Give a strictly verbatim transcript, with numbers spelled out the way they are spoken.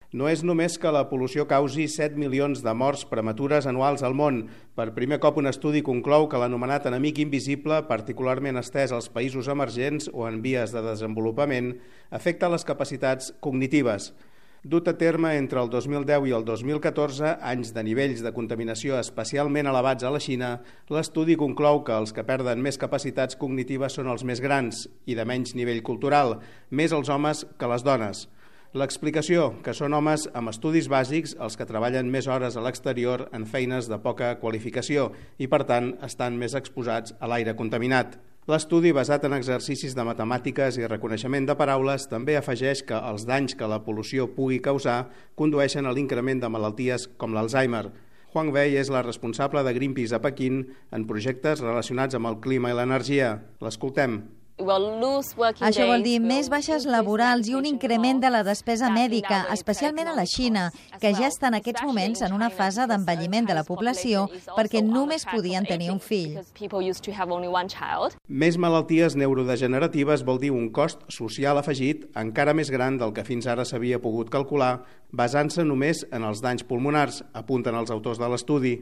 No és només que la pol·lució causi set milions de morts prematures anuals al món. Per primer cop un estudi conclou que l'anomenat enemic invisible, particularment estès als països emergents o en vies de desenvolupament, afecta les capacitats cognitives. Dut a terme entre el dos mil deu i el dos mil catorze, anys de nivells de contaminació especialment elevats a la Xina, l'estudi conclou que els que perden més capacitats cognitives són els més grans i de menys nivell cultural, més els homes que les dones. L'explicació, que són homes amb estudis bàsics els que treballen més hores a l'exterior en feines de poca qualificació i, per tant, estan més exposats a l'aire contaminat. L'estudi, basat en exercicis de matemàtiques i reconeixement de paraules, també afegeix que els danys que la pol·lució pugui causar condueixen a l'increment de malalties com l'Alzheimer. Huang Wei és la responsable de Greenpeace a Pequín en projectes relacionats amb el clima i l'energia. L'escoltem. Això vol dir més baixes laborals i un increment de la despesa mèdica, especialment a la Xina, que ja està en aquests moments en una fase d'envelliment de la població perquè només podien tenir un fill. Més malalties neurodegeneratives vol dir un cost social afegit encara més gran del que fins ara s'havia pogut calcular, basant-se només en els danys pulmonars, apunten els autors de l'estudi.